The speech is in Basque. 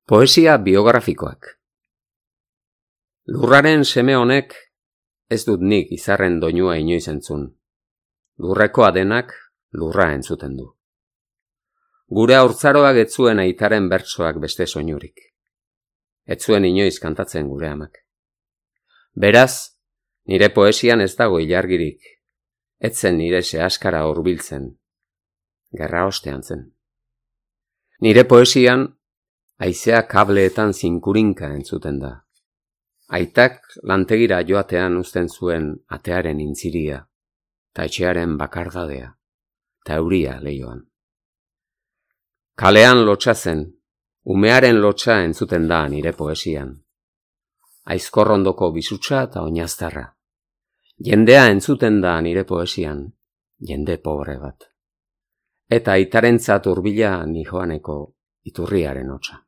Poesia biografikoak. Lurraren seme honek ez dut nik izarren doinua inoiz entzun. Lurrekoa denak lurra entzuten du. Gure haurtzaroak ez zuen aitaren bertsoak beste soinurik. Ez zuen inoiz kantatzen gure amak. Beraz, nire poesian ez dago ilargirik. Ez zen nire sehaskara hurbiltzen. Gerra ostean zen. Nire poesian haizea kableetan zinkurinka entzuten da. Aitak lantegira joatean uzten zuen atearen intziria, ta etxearen bakardadea, ta euria leioan. Kalean lotsa zen, umearen lotsa entzuten da nire poesian. Aizkorrondoko bizutsa eta oinaztarra. Jendea entzuten da nire poesian, jende pobre bat. Eta aitarentzat hurbila nijoaneko iturriaren hotsa.